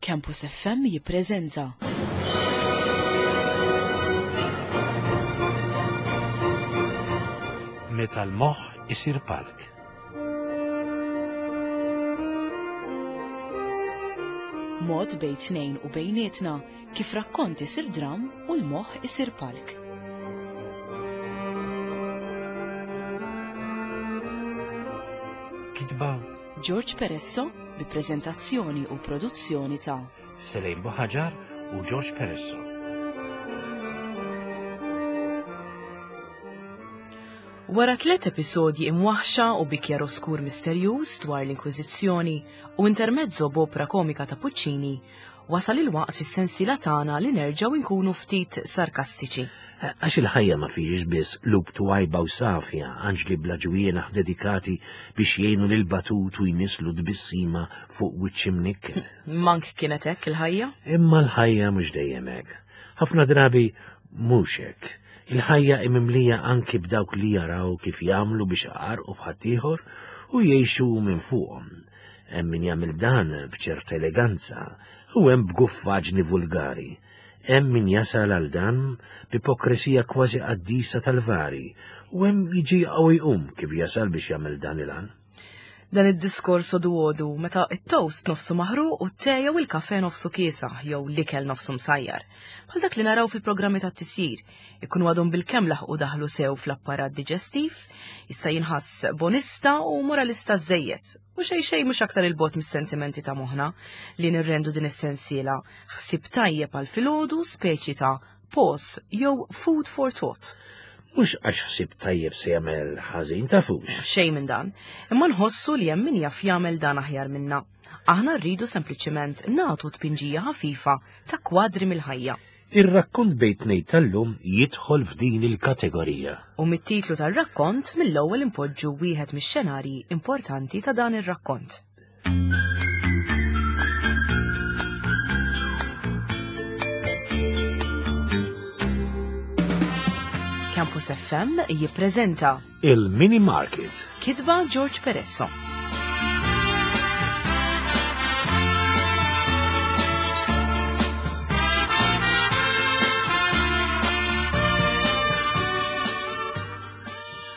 Campus FM jippreżenta. Meta l-moħħ isir palk. Mod bejn tnejn u bejnietna kif rakkont isir dram u l-moħħ isir palk. Kitba George Peresso bi preżentazzjoni u produzzjoni ta' Selejn Buħaġar u George Peresso. Wara tlet episodji imwaħxa u bi kjaroskur misterjuż dwar l-Inkwiżizzjoni u intermezzo b'opra komika ta' Puccini, wasal il-waqt fis-sensiela tagħna li nerġgħu nkunu ftit sarkastiċi. Għax il-ħajja ma fihiex biss qlub twajba u safja, anġli bla ġwienaħ dedikati biex jgħinu lil batut u jnisslu tbissima fuq wiċċ imnikket. Mank kienet hekk il-ħajja? Imma l-ħajja mhux dejjem hekk. Ħafna drabi mhux hekk. Il-ħajja hi mimlija anki b'dawk li jaraw kif jagħmlu biex iqarrqu b'ħaddieħor u jgħixu minn fuqhom. Hemm min jagħmel dan b'ċerta eleganza u hemm b'guffaġni vulgari. Hemm min jasal għal dan b'ipokresija kważi qaddisa tal-vari u hemm jiġi u jqum kif jasal biex jagħmel dan il-għan. Dan id-diskors għodu għodu meta it-toast nofsu maħruq u t-te jew il-kafe nofsu kiesaħ jew l-ikel nofsu msajjar. Bħal dak li naraw fil-programmi tat-tisjir, ikunu għadhom bil-kemm laħqu daħlu sew fl-apparat diġestiv, jista' jinħass bonista u moralista żejjed, u xejn xejn mhux aktar il-bogħod mis-sentimenti ta' moħħna li nirrendu din is-sensiela ħsieb tajjeb għal filgħodu speċi ta' pause jew food for thought. Mhux għax ħsieb tajjeb se jagħmel ħażin tafux. Xejn minn dan, imma nħossu li hemm min jaf jagħmel dan aħjar minna. Aħna rridu sempliċement nagħtu tpinġija ħafifa ta' kwadri mill-ħajja. Ir-rakkont bejn tnejn tal-lum jidħol f'din il-kategorija. U mit-titlu tar-rakkont mill-ewwel inpoġġu wieħed mix-xenarji importanti ta' dan ir-rakkont. Campus FM jippreżenta Il-Mini Market. Kitba George Peresso.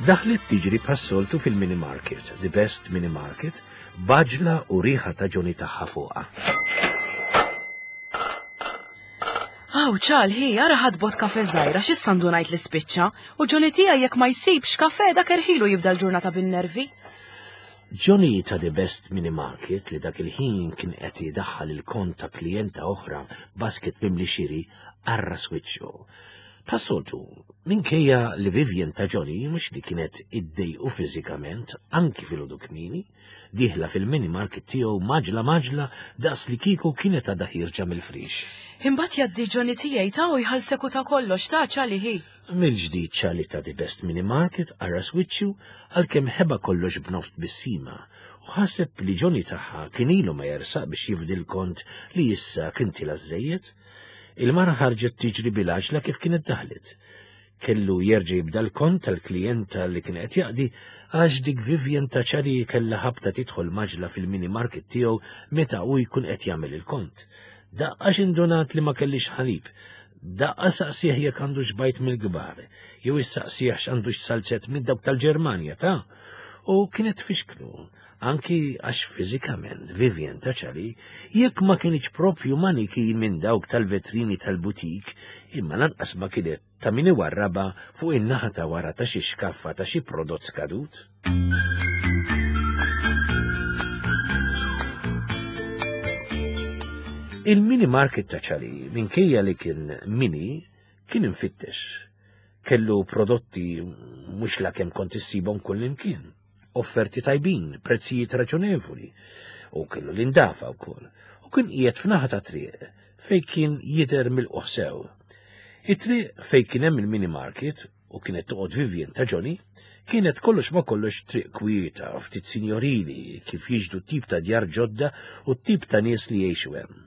Daħlet tiġri bħas-soltu fil-mini market, the best mini market, b'għaġla u riħa ta' Johnny tagħha fuqha. Aw, ċal, hi, ara ħadbot kafe żgħira, x'issa ndunajt li spiċċa, u Johnny tiegħi jekk ma jsibx kafe dak erħilu jibda l-ġurnata bin-nervi. Johnny ta' The Best Mini Market li dak il-ħin kien qed idaħħal il-kont ta' klijenta oħra basket mimli xiri arras wiċċu. Bħas-soltu, minkejja li Vivian ta' Johnny mhux li kienet iddejqu fiżikament anki filgħodu kmieni, dieħla fil-mini market tiegħu maġla maġla daqs li kieku kienet għadha ħierġa mill-frix. Imbagħad jgħaddi Johnny tiegħi ta' u jħallsek u ta' kollox ta' ċali hi. Mill-ġdid ċali ta' The Best Mini Market arras wiċċu għalkemm ħeba kollox b'nofs tbissima u ħaseb li Johnny tagħha kien ilu ma jersaq biex jifdi l-kont li issa kien tila' żejjed. Il-mara ħarġet tiġri bil-għaġla kif kienet daħlet. Kellu jerġa' jibda l-kont tal-klijenta li kien qed jaqdi għax dik Vivian ta' ċari kellha ħabta tidħol maġla fil-mini market tiegħu meta hu jkun qed jagħmel il-kont. Daqqa x'indunat li ma kellix ħalib. Daqqa saqsih jekk għandux bajt mill-kbar, jew issaqsih x'għandux salzett minn dawk tal-Ġermanja ta' u kienet tfixklu. Anki għax fiżikament Vivian ta' Charlie, jekk ma kinitx propju manikin minn dawk tal-vetrini tal-butik, imma lanqas ma kienet ta' min iwarrabha fuq in-naħa ta' wara ta' xi xkaffa ta' xi prodott skadut. Il-mini market ta' Charlie, minkejja li kien mini, kien imfittex. Kellu prodotti mhux la kemm kont issibhom kullimkien. Offerti tajbin, prezzijiet raġonevoli, u kellu l-indafa wkoll, u kien qiegħed f'naħa ta' triq fejn kien jidher milqugħ sew. It-triq fejn kien hemm il-mini market u kienet toqgħod Vivian ta' Johnny, kienet kollox ma kollox triq kwieta, ftit sinjorili, kif jiġdu tip ta' djar ġodda u t-tip ta' nies li jgħixu hemm.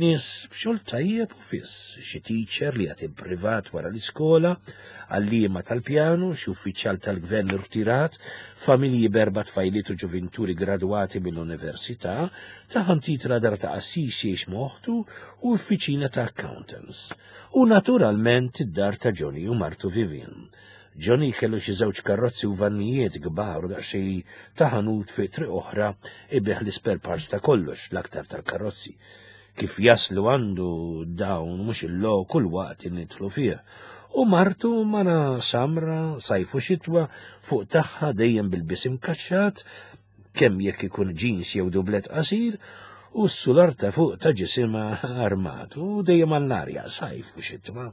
Nies b'xogħol tajjeb u fiss, xi teacher li jagħti privat wara l-iskola, għalliema tal-pjanu, xi uffiċjal tal-gvern irtirat, familji b'erba' tfajliet u ġuvinturi gradwati mill-università, taħantitra dar ta' qassis jgħix moħtu u uffiċina ta' accountants. U naturalment id-dar ta' Johnny u martu Vivian. Johnny kellu xi żewġ karrozzi u vannijiet kbar u daqsxejn ta' ħanut fi triq oħra ibigħ l-ispare parts ta' kollox, l-aktar tal-karozzi. Kif jaslu għandu dawn mhux il-lo kull waqt nidħlu fih. U martu mara samra, sajf u xitwa, fuq tagħha dejjem bil-bisim kaċċat, kemm jekk ikun jeans jew dublet qasir, u s-sular ta' fuq ta' ġisimha armat u dejjem għall-arja, sajf u xitwa.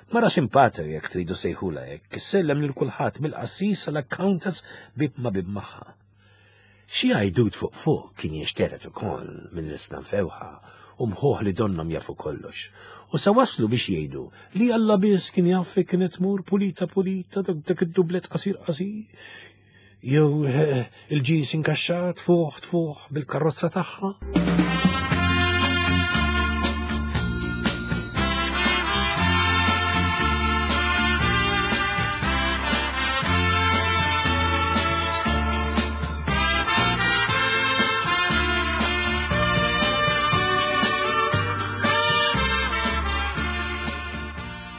Mara simpatika jekk tridu sejħula hekk, issellem lil kulħadd mill-qassis sal-accountants bib ma bib magħha. Xi għajdut fuq fuq kien jinxteret ukoll minn l-isna mfewħa u mħuħ li donnhom jafu kollox. U sa waslu biex jgħidu li Alla biss kien jaf fejn kienet tmur pulita pulita dak id-dublet qasir qasir jew eh, il-ġins inkaxxat fuq tfuħ bil-karozza tagħha.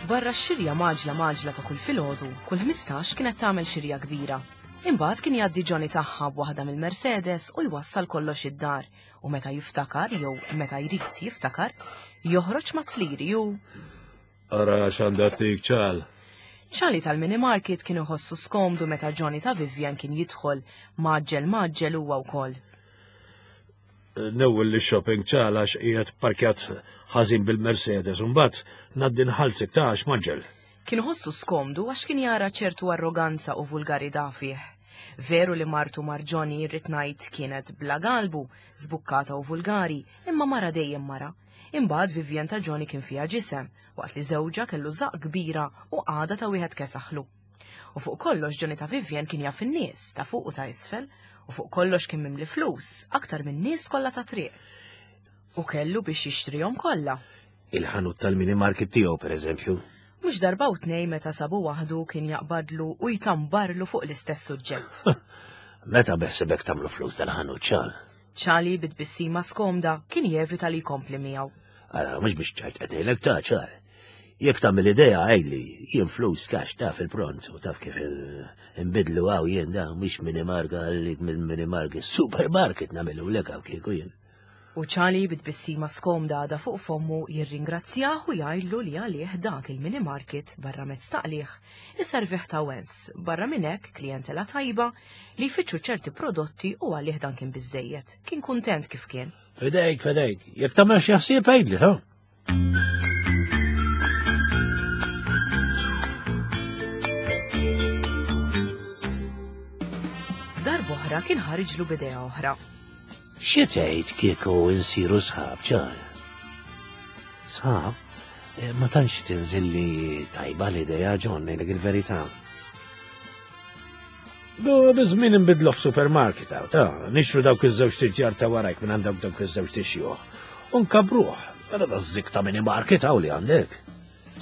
Barra x-xirja maġla maġla ta' kull filgħodu, kull 15 kienet tagħmel xirja kbira. Imbagħad kien jgħaddi Johnny tagħha b'waħda mill-Mercedes u jwassal kollox id-dar u meta jiftakar jew meta jrid jiftakar, joħroġ ma' tzliri u Ara x'għandha tik ċal. Ċali tal-mini market kien iħossu skomdu meta Johnny ta' Vivian kien jidħol maġġel maġġel huwa wkoll. Newwel li shopping ċal għax qiegħed parkjat ħażin bil-Mercedes u mbagħad ngħaddi nħallsek ta' għax maġġel. Kien iħossu skomdu għax kien jara ċertu arroganza u vulgarità fih. Veru li martu mar Johnny rrid ngħid kienet bla galbu, żbukkata u vulgari, imma mara dejjem mara. Imbagħad Vivian ta' Johnny kien fiha ġisem, waqt li żewġha kellu żaqq kbira u qagħda ta' wieħed kesaħlu. U fuq kollox Johnny ta' Vivian kien jaf in-nies, ta' fuq u ta' isfel, u fuq kollox kien mimli flus, aktar min-nies kollha tat-triq. U kellu biex jixtrihom kollha. Il-ħanut tal-mini market tiegħu pereżempju. Mhux darba u tnej meta sabu waħdu kien jaqbadlu u jtambarlu fuq l-istess suġġett. Meta beħsibek tagħmlu flus dal-ħanut ċal? Ċali bi tbissima skomda kien jevita li jkompli miegħu. Ara, mhux biex ċajt qed ngħidlek ta' ċar. Jekk tagħmel idea għidli, jien flus cash taf il-pront u taf kif inbidlu hawn jien da mhux mini marka għalik mill-mini market, supermarket nagħmilu lek hawn kieku jien. U Charlie bi tbissima skomda għadha fuq fommu jirringrazzjah u jgħidlu li għalih dak il-mini market barra mezz ta' qligħ iservih ta' wens, barra minn hekk klijentela tajba li jfittxu ċerti prodotti u għalih dan kien biżżejjed. Kien kuntent kif kien. Fidejk, fidejk, jekk tagħmel xi ħsieb għidli, ta'. Darb'oħra kien ħariġlu b'idea oħra. Xi tgħid kieku nsiru sħab ċar? Sħab? Eh, ma tantx tinżilli tajba l-idea John ngħidlek il-verità. Biż-żmien inbidlu f'supermarket hawn, ta' nixtru dawk iż-żewġ tiġġar ta' warajk minn għand dawk iż-żewġ tixjuħ. U nkabruh, mela da żik ta' mini market hawn li għandek.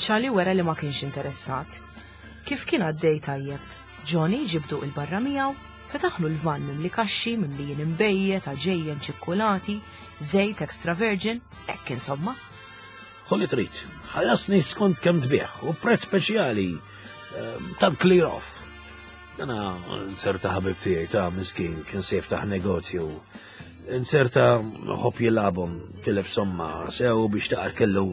Charlie wera li ma kienx interessat. Kif kien għaddej tajjeb, Johnny ġibdu il-barra miegħu, fetaħlu l-van mimli kaxxi, mimlijin imbejjed, għaġejjen, ċikkulati, żejt extra virgin, hekk insomma. Ħu li trid, ħallasni skont kemm tbigħ u prezz speċjali ehm, tal-clear off. Dana nserta ħabib tiegħi ta' miskin kien se jiftaħ negozju. Nserta ħobb jilagħbhom tilef somma sew biex taqar kellu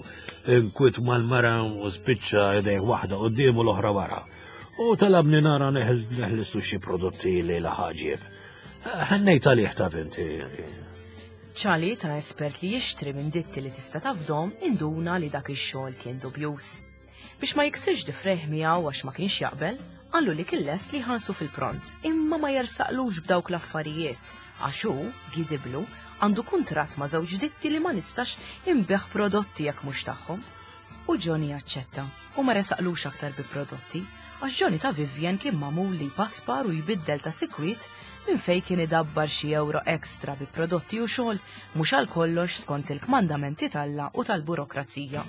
inkwit mal-mara u spiċċa idejh waħda quddiem u l-oħra wara. U talabni nara neħlisu xi prodotti li laħaġieb. Ħennejt għalih ta' inti. Charlie ta' espert li jixtri minn ditti li tista' tafdhom induna li dak ix-xogħol kien dubjuż. Biex ma jiksirx difrejh miegħu għax ma kienx jaqbel, qallu li kien lest li jħallsu fil-pront, imma ma jersaqlux b'dawk l-affarijiet għax hu, gidiblu, għandu kuntratt ma' żewġ ditti li ma nistax inbigħ prodotti jekk mhux tagħhom. U Johnny aċċetta u ma resaqlux aktar bi prodotti. Għax Johnny ta' Vivian kien magħmul li jpaspar u jbiddel ta' sikwit minn fejn kien idabbar xi ewro extra bi prodotti u xogħol mhux għal kollox skont il-kmandamenti t'Alla u tal-burokrazija.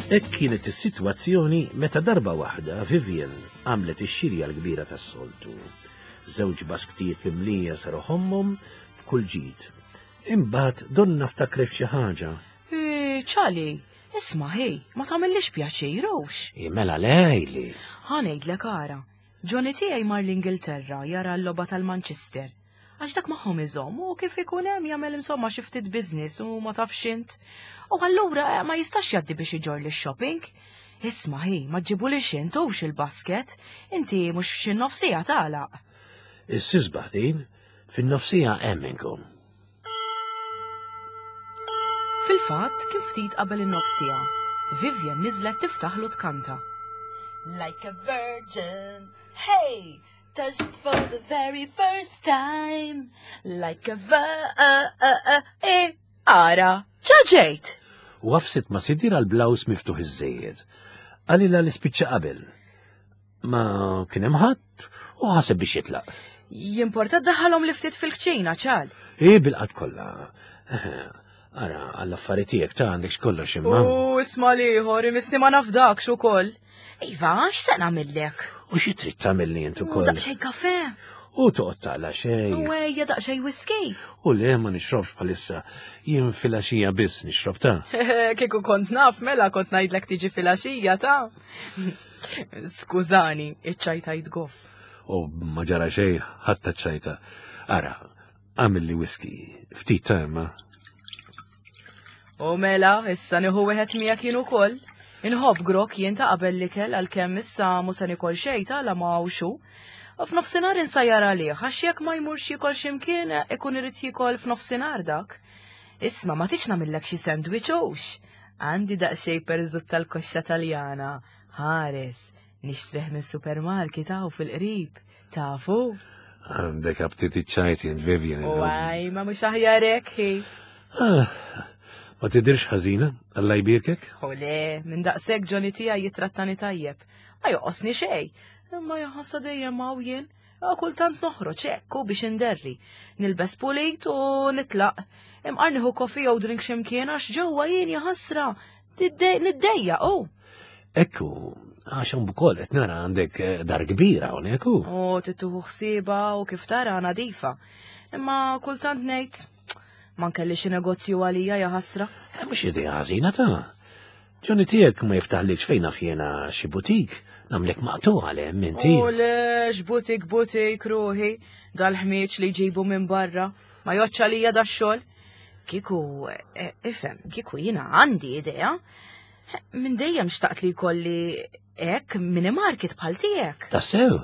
Hekk kienet is-sitwazzjoni meta darba waħda Vivian għamlet ix-xirja l-kbira tas-soltu. Żewġ basktijiet mimlija saru ħommhom b'kull ġid. Imbagħad donna ftakret f'xi ħaġa. Ċali, isma' ħej, ma tagħmillix pjaċir hux. Mela lejli. Ħa ngħidlek ara, Johnny tiegħi mar l-Ingilterra jara l-logħba tal-Manchester. Għax dak magħhom iżomm u kif ikun hemm jagħmel insomma xi ftit business u ma tafx int. U allura eh, ma jistax jgħaddi biex iġorr li shopping. Isma' hi, ma ġġibulix int hux il-basket, inti mhux f'xi nofsija tagħlaq. Is-sisbaħ din, fin-nofsija hemm inkun. Fil-fatt, kien ftit qabel in-nofsija. Vivian niżlet tiftaħlu tkanta. Like a virgin, hey, touched for the very first time, like a vir, ara, ġaġejt! U għafset ma sidir għal blaws miftuħ iż-żejjed. Qalilha li spiċċa qabel. Ma kien hemm ħadd u ħaseb biex jitlaq. Jimporta daħalhom li ftit fil-kċina ċal. I bil-qatt kollha. Ara, għall-affari tiegħek ta' għandek kollox imma. U isma' liħor, imisni ma nafdakx ukoll. Iva, x'se nagħmillek? U xi trid tagħmilni int ukoll? Daqsxejn kafe. U toqgħod taqla xejn. U ejja daqsxejn whisky. U le ma nixrobx bħalissa. Jien filgħaxija biss nixrob ta'. Kieku kont naf mela kont ngħidlek tiġi filgħaxija ta'. Skużani, iċ-ċajta goff. U ma ġara xejn, ħadd ċajta. Ara, għamilli whisky, ftit ta' imma. U mela, issa nieħu wieħed miegħek jien ukoll. Inħobb grok jien ta' qabel l-ikel għalkemm issa mhu se nikol xejn ta' la ma hawnx hu. U f'nofsinhar insajjar għalih għax jekk ma jmurx jiekol x'imkien ikun irid jiekol f'nofsinhar dak. Isma' ma tridx nagħmillek xi sandwich hux? Għandi daqsxejn perżut tal-koxxa Taljana. Ħares, nixtrih minn supermarket hawn fil-qrib. Tafu? Għandek aptit iċ-ċajt jien Vivian. U għaj, ma mhux aħjar hekk hi. Ah, ma tidirx ħażina, Alla jbierkek? U le, minn daqshekk Johnny tiegħi jitrattani tajjeb. Ma joqosni xejn. Imma jaħassa dejjem hawn jien. Kultant noħroġ hekk u biex inderri. Nilbes pulit u nitlaq. Imqar nieħu kofi jew drink x'imkien għax ġewwa jien jaħasra. Niddejja u. Ekku, għax hawn ukoll qed nara għandek eh, dar kbira hawnhekk u. U tittuħu ħsieba u kif tara nadifa. Imma kultant ngħid ma nkelli xi negozju għalija jaħasra. Eh, mhux idea ħażina ta' Johnny tiegħek ma jiftaħlikx fejn naf jiena xi butik, nagħmlek maqtugħ għal hemm inti. U lex butik butik ruħi, dal-ħmieġ li jġibu minn barra, ma joċċa għalija dax-xogħol. Kieku, e, ifhem, kieku jiena għandi idea. Minn dejjem xtaqt li jkolli hekk mini market bħal tiegħek. Tassew?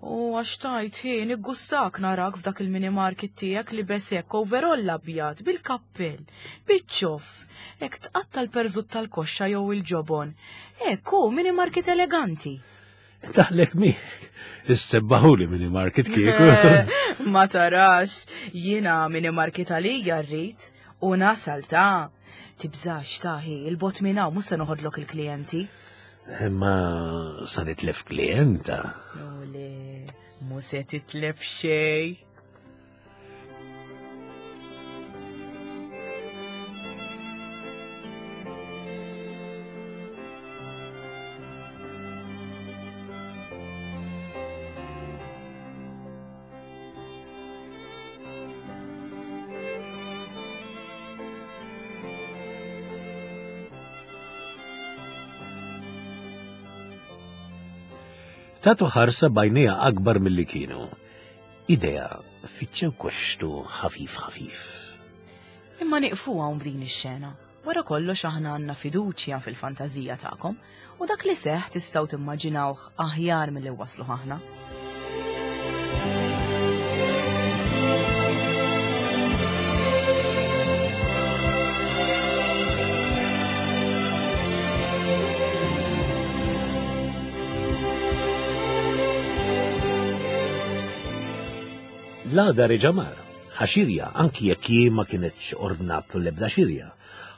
U għax tajt hi, niggustak narak f'dak il-mini market tiegħek li besek overall abjad bil-kappell, biċ-ċoff, hekk tqatta' l-perżut tal-koxxa jew il-ġobon. Hekk hu mini market eleganti. Daħlek miegħek. Issebbaħuli mini market kieku. Ma tarax, jiena mini market għalija rrid u nasal ta' tibżax taħi, il-bot minn hawn mhux se noħodlok il-klijenti. Imma sa nitlef klijenta. U le, mu se titlef xej. Tatu ħarsa bajnija akbar milli kienu. Idea fiċċew koxtu ħafif ħafif. Imma nieqfu hawn b'din ix-xena. Wara kollox aħna għandna fiduċja fil-fantażija tagħkom u dak li seħ tistgħu timmaġinawh aħjar milli waslu aħna. L-għada reġa' mar, ħa xirja anki jekk hi ma kinetx ordnatlu l-ebda xirja.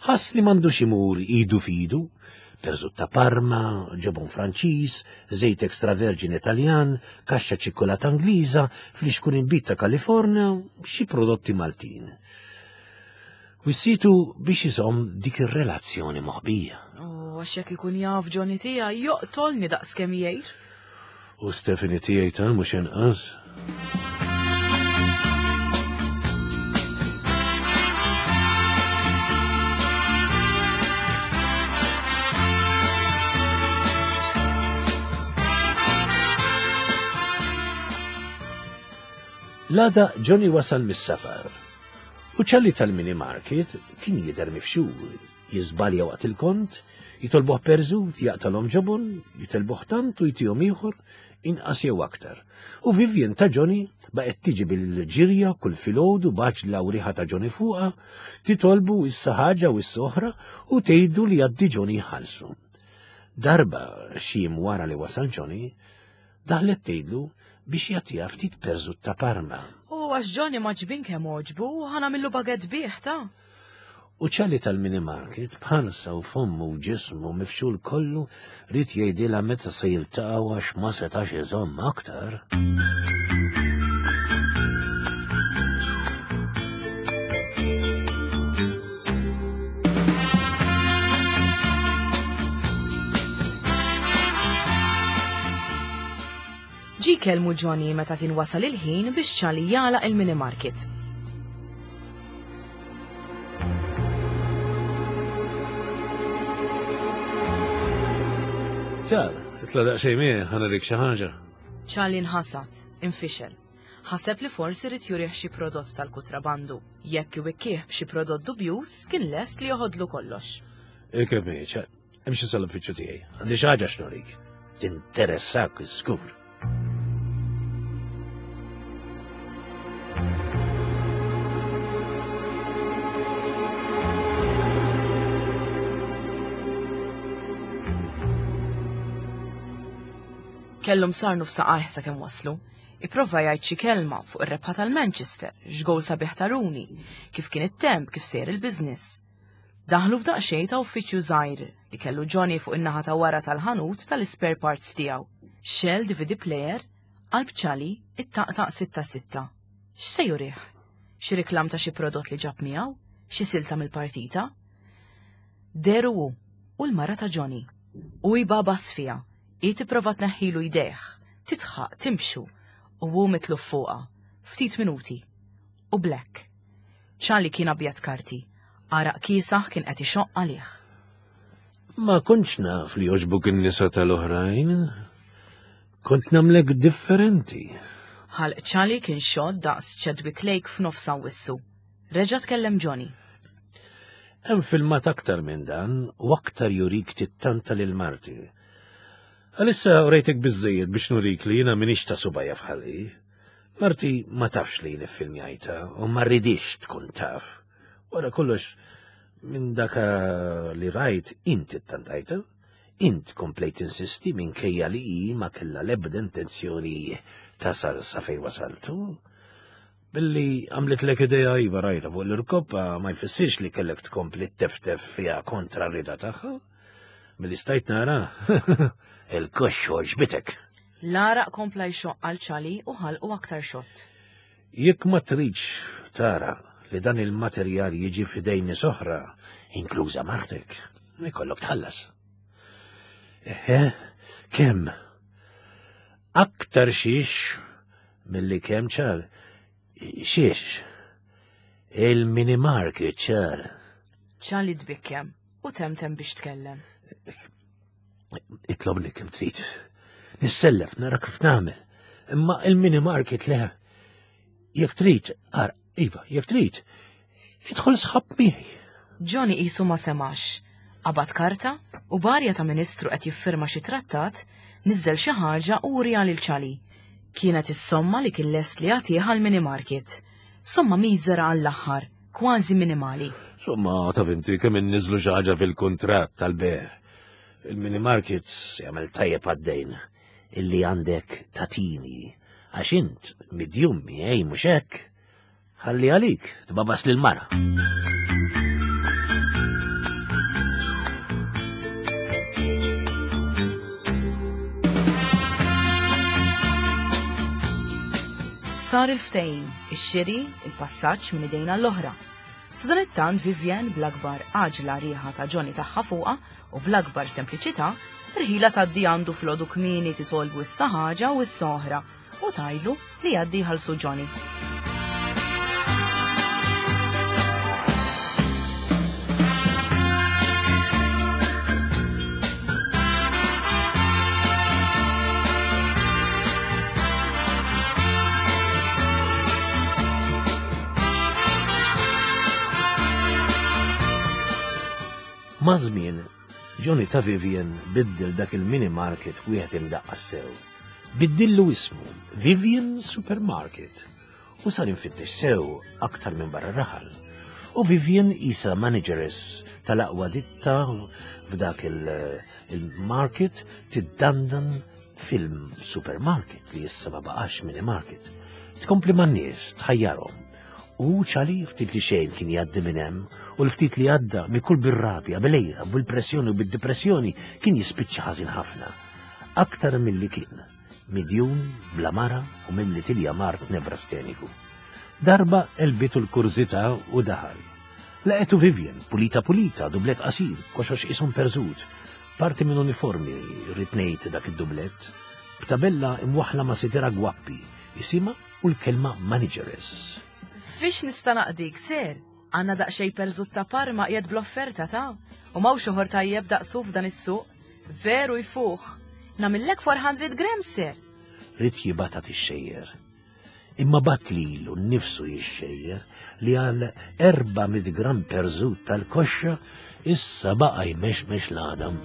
Ħass li m'għandux imur idu f'idu, perżut ta' Parma, ġobon Franċiż, żejt extra vergine Taljan, kaxxa ċikkulata Ingliża, flixkun inbid ta' Kalifornja, xi prodotti Maltin. Wissitu biex iżomm dik ir-relazzjoni moħbija. U għax jekk ikun jaf Johnny tiegħi joqtolni daqs kemm jgħir. U Stephanie tiegħi ta' mhux inqas. L-għada Johnny wasal mis-safar U Charlie tal-mini market kien jidher mifxul, jiżbalja waqt il-kont, jitolbuh perżut, jaqtalhom ġobon, jitelbuh tant u jtihom ieħor, inqas jew aktar. U Vivian ta' Johnny baqgħet tiġi bil-ġirja kull filgħodu b'għaġla u riħa ta' Johnny fuqha, titolbu issa ħaġa u issa oħra u tgħidu li għaddi Johnny jħallsu. Darba xi jiem wara li wasal Johnny, Daħlet tgħidlu biex jagħtiha ftit perżut ta' Parma. U għax Johnny ma ġbin kemm għoġbu, ħa nagħmillu baguette bih ta'. U Charlie tal-mini market b'ħarsa u fommu u ġismu mifxul kollu ried jgħidilha meta se jiltaqgħu għax ma setax iżomm aktar. Ġie jkellmu Johnny meta kien wasal il-ħin biex Charlie jagħlaq il-mini market. Ċar, itla daqsxejn miegħi ħa nurik xi ħaġa. Charlie nħasad, infixel. Ħaseb li forsi ried jurih xi prodott tal-kutrabandu. Jekk iwikkih b'xi prodott dubjuż, kien lest li joħodlu kollox. Irkeb miegħi, ċar. Imxi sal-uffiċċju tiegħi. Għandi xi ħaġa x'nurik. Tinteressak żgur. Kellhom sar nofsaqajh sakemm waslu. Ipprova jgħid xi kelma fuq ir-rebħa tal-Manchester, x'gowl sabiħ ta' Rooney, kif kien it-temp, kif sejjer il-business. Daħlu f'daqsxejn ta' uffiċċju żgħir li kellu Johnny fuq in-naħa ta' wara tal-ħanut tal-ispare parts tiegħu. Xegħel DVD player, qalb Charlie ittaqtaq sitta sitta. X'se jurih? Xi reklam ta' xi prodott li ġab miegħu? Xi silta mill-partita? Dehru hu u l-mara ta' Johnny. Hu jbagħbas fiha, hi tipprova tneħħilu jdejh, tidħaq, timxu, u hu mitluf fuqha. Ftit minuti. U black. Charlie kien abjad karti. Għaraq kiesaħ kien qed ixoqq għalih. Ma kontx naf li jogħġbuk in-nisa tal-oħrajn. Kont nagħmlek differenti. Ħalq Charlie kien xott daqs Chadwick Lake f'nofs Awwissu. Reġa' tkellem Johnny. Hemm filmat aktar minn dan u aktar jurik tittanta lil marti. Għalissa urejtek biżżejjed biex nurik li jiena m'iniex ta' subajja f'ħalqi. Marti ma tafx li jien iffilmjajtha u ma rridix tkun taf. Wara kollox, minn daka li rajt inti ttantajtha, int komplejt tinsisti minkejja li hi ma kellha l-ebda intenzjoni tasal sa fejn wasaltu. Billi għamlitlek idea iva rajta fuq l-irkoppa ma jfissirx li kellek tkompli teftef fiha kontra r-rieda tagħha. Milli stajt nara, il-koxx għoġbitek. L-għaraq kompla jxoqq għal Charlie u ħalqu aktar xott. Jekk ma tridx tara li dan il-materjal jiġi f'idejn nies oħra, inkluża martek, ikollok tħallas. Eħe, kemm? Aktar xiex milli kemm ċar. Xiex? Il-mini market ċar. Charlie tbikkem u temtem biex tkellem. Itlobni kemm trid. Nissellef nara kif nagħmel. Imma il-mini market le. Jekk trid, ara, iva, jekk trid, idħol sħab miegħi. Johnny qisu ma semax. Qabad karta u b'arja ta' ministru qed jiffirma xi trattat, niżżel xi ħaġa u wriha lil Charlie. Kienet is-somma li kien lest li jagħtih għall-mini market. Somma miżera għall-aħħar, kważi minimali. Somma taf inti kemm inniżlu xi ħaġa fil-kuntratt tal-bejgħ. Il-mini markets jagħmel tajjeb għad-dejn illi għandek tatini. Għax int midjum miegħi mhux hekk, ħalli għalik tbabas lil mara. Sar il-ftehim, ix-xiri, il-passaġġ minn idejna l-oħra. Sadanittant Vivienne bl-akbar għaġla riħa ta' Johnny tagħha fuqha u bl-akbar sempliċità, rħila tgħaddi għandu fl-għodu kmieni titolbu issa ħaġa u issa oħra u tgħidlu li jgħaddi jħallsu Johnny. Maż-żmien, Johnny ta' Vivian biddel dak il-mini market wieħed imdaqqas sew. Biddillu ismu Vivian Supermarket u sar infittex sew aktar minn barra raħal. U Vivian isa manageress tal-aqwa ditta f'dak il-market tiddandan fil-supermarket li issa ma baqax mini market. Tkompli man-nies, tħajjarhom. U ċali ftit li xejn kien jgħaddi minn hemm u l-ftit li għadda mikul bir-rabja, bil-għira, bil-pressjoni u bid-depressjoni kien jispiċċa ħażin ħafna. Aktar milli kien, midjun, bla mara u mimli tilja mart nevrasteniku. Darba elbitu l-kurżità u daħal. Laqetu Vivian, pulita pulita, dublet qasir, koxox isom perżut, Parti minn uniformi, rrid ngħid dak id-dublett, b'tabella imwaħħla ma' sidera gwappi, isimha u l-kelma manageress. Fiex nista' naqdik, sir? Għandna daqsxejn perżut ta' Parma qiegħed bl-offerta ta' u m'hawnx oħor tajjeb daqsu f'dan is-suq. Veru jfuħ. Nagħmillek 400 grams, sir. Ried jibgħatha tixxejjer. Imma bagħat lilu nnifsu jixxejjer li għal 400 gramm perżut tal-koxxa issa baqa' jmexmex l-għadam.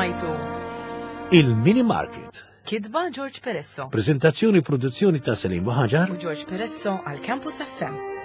Smajtu. Il-Mini Market. Kitba George Peresso. Prezentazzjoni produzzjoni ta' Selim Buħaġar. U George Peresso għal Campus FM.